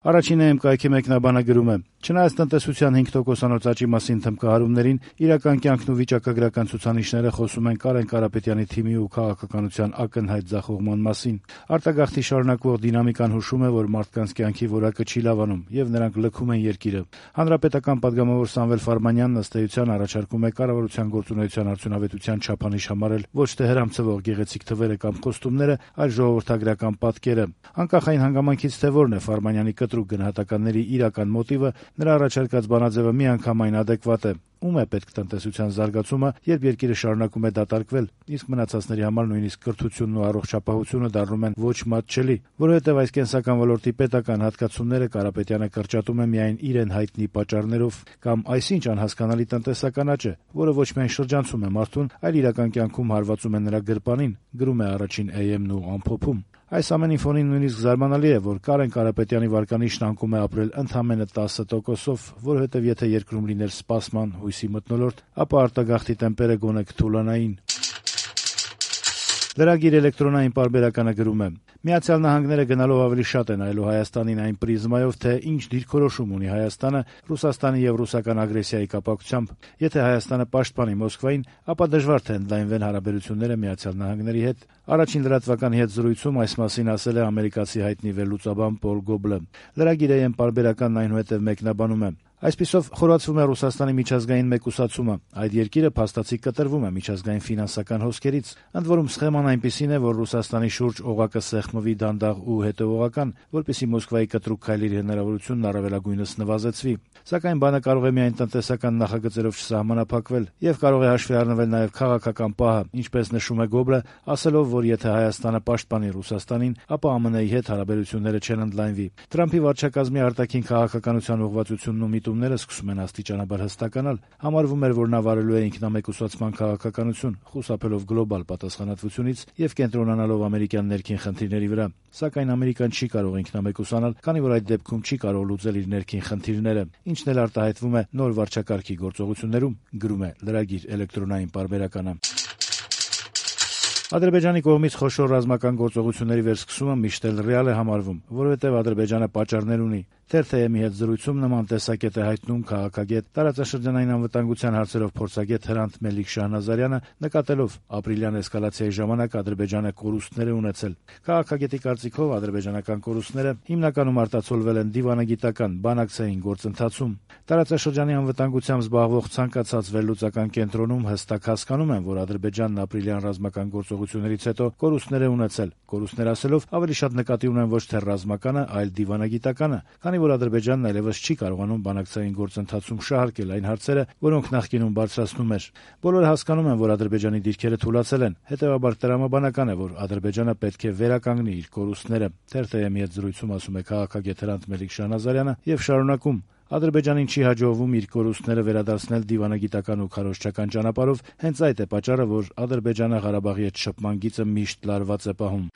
Առաջին ԵՄԿ-ի մեկնաբանը գրում է. «Չնայած տնտեսության 5% աճի մասին թմբկահարումներին, իրական կյանքն ու վիճակագրական ցուցանիշները խոսում են Կարեն Կարապետյանի թիմի ու քաղաքականության ակնհայտ ձախողման մասին։ Արտագաղթի շարունակվող դինամիկան հուշում է, որ մարդկանց կյանքի որակը չի լավանում, եւ նրանք լքում են երկիրը։ Հանրապետական պատգամավոր Սամվել Ֆարմանյանն ըստ էության առաջարկում է կառավարության գործունեության արդյունավետության չափանիշ համարել ոչ թե հրամցվող գեղեցիկ թվերը կամ խոստումները, այլ ժողովրդագրական պատկերը։ Անկախ այն հանգամանքից, թե որն է Ֆարմանյանի կտրուկ գնահատականների իրական մոտիվը, նրա առաջարկած բանաձևը միանգամայն adekvat է։ Ում է պետք տնտեսության զարգացումը, երբ երկիրը շարունակում է դատարկվել, իսկ մնացածների համար նույնիսկ կրթությունն ու առողջապահությունը դառնում են ոչ մատչելի, որովհետև այս կենսական ոլորտի պետական հատկացումները Կարապետյանը կրճատում է միայն իրեն հայտնի պատճառներով, կամ այսինչ անհասկանալի տնտեսական աճ է, որը ոչ միայն շրջանցում է մարդուն, այլ իրական կյանքում հարվածում է նրա գրպանին, գրում է առաջին AM-ն ու ամփոփում։ Այս ամենի ֆոնին նույնիսկ զարմանալի է, որ Կարեն Կարապետյանի վարկանիշն անկում է ապրել ընդամենը 10%-ով, որովհետև եթե երկրում լիներ սպասման հույսի մթնոլորտ, ապա արտագաղթի տեմպերը գոնե կթուլանային։ Լրագիր էլեկտրոնային պարբերականը գրում է. «Միացյալ Նահանգները գնալով ավելի շատ են այլու Հայաստանին այն պրիզմայով, թե ինչ դիրքորոշում ունի Հայաստանը Ռուսաստանի եւ ռուսական ագրեսիայի կապակցությամբ։ Եթե Հայաստանը պաշտպանի Մոսկվային, ապա դժվար թե ընդլայնվեն հարաբերությունները Միացյալ Նահանգների հետ»։ Առաջին լրատվականի հետ զրույցում այս մասին ասել է ամերիկացի հայտնի վերլուծաբան Պոլ Գոբլը։ Լրագիր AM պարբերականն այնուհետև մեկնաբանում է. «Այսպիսով խորացվում է Ռուսաստանի միջազգային մեկուսացումը։ Այդ երկիրը փաստացի կտրվում է միջազգային ֆինանսական հոսքերից։ Ընդ որում սխեման այնպիսին է, որ Ռուսաստանի շուրջ օղակը սեղմվի դանդաղ ու հետեւողական, որպեսզի Մոսկվայի կտրուկ քայլերի հնարավորությունն առավելագույնս նվազեցվի։ Սակայն բանը կարող է միայն տնտեսական նախագծերով չսահմանափակվել եւ կարող է հաշվի առնվել նաեւ քաղաքական պահը, ինչպես նշում է Գոբլը, ասելով, որ եթե Հայաստանը պաշտպանի Ռուսաստանին, ապա ԱՄՆ-ի հետ հարաբերությունները չեն ընդլայնվի։ Թրամփի վարչակազմի արտաքին քաղաքականության ուղղվածությունն ու միտումները սկսում են աստիճանաբար հստականալ։ Համարվում էր, որ նա վարելու է ինքնամեկուսացման քաղաքականություն, խուսափելով գլոբալ պատասխանատվությունից եւ կենտրոնանալով ամերիկյան ներքին խնդիրների վրա։ Սակայն Ամերիկան չի կարող ինքնամեկուսանալ, քանի որ այդ դեպքում չի կարող լուծել իր ներքին խնդիրները, ինչն էլ արտահայտվում է նոր վարչակարգի գործողություններում, գրում է լրագիր էլեկտրոնային պարբերականը։ Ադրբեջանի կողմից խոշոր ռազմական գործողությունների վերսկսումը միշտ էլ ռեալ է համարվում, որովհետև Ադրբեջանը պատճառներ ունի։ Թերթ-ի հետ զրույցում նման տեսակետ է հայտնում քաղաքագետ, տարածաշրջանային անվտանգության հարցերով փորձագետ Հրանտ Մելիք Շահնազարյանը, նկատելով ապրիլյան էսկալացիայի ժամանակ Ադրբեջանը կորուստներ է ունեցել։ Քաղաքագետի կարծիքով ադրբեջանական կորուստները հիմնականում արտացոլվել են դիվանագիտական, բանակցային գործընթացում։ Տարածաշրջանի անվտանգությամբ զբաղվող ցանկացած վերլուծական կենտրոնում հստակ հասկանում են, որ Ադրբեջանն ապրիլյան ռազմական գործողություններից հետո կորուստներ է ունեցել։ Կորուստներ ասելով ավելի շատ նկատի ունեն ոչ թե ռազմականը, այլ դիվանագիտականը, քանի որ Ադրբեջանն այլևս չի կարողանում բանակցային գործընթացում շահարկել այն հարցերը, որոնք նախկինում բարձրացնում էր։ Բոլորը հասկանում են, որ Ադրբեջանի դիրքերը թուլացել են, հետևաբար տրամաբանական է, որ Ադրբեջանը պետք է վերականգնի իր կորուստները։ Թերթ-ի հետ զրույցում ասում է քաղաքագետ Հրանտ Մելիք Շահնազարյանը եւ շարունակում. Ադրբեջանին չի հաջողվում իր կորուստները վերադարձնել դիվանագիտական ու քարոզչական ճանապարհով, հենց այդ է պատճառը, որ Ադրբեջանը Ղարաբաղի հետ շփման գիծը միշտ լարված է պահում։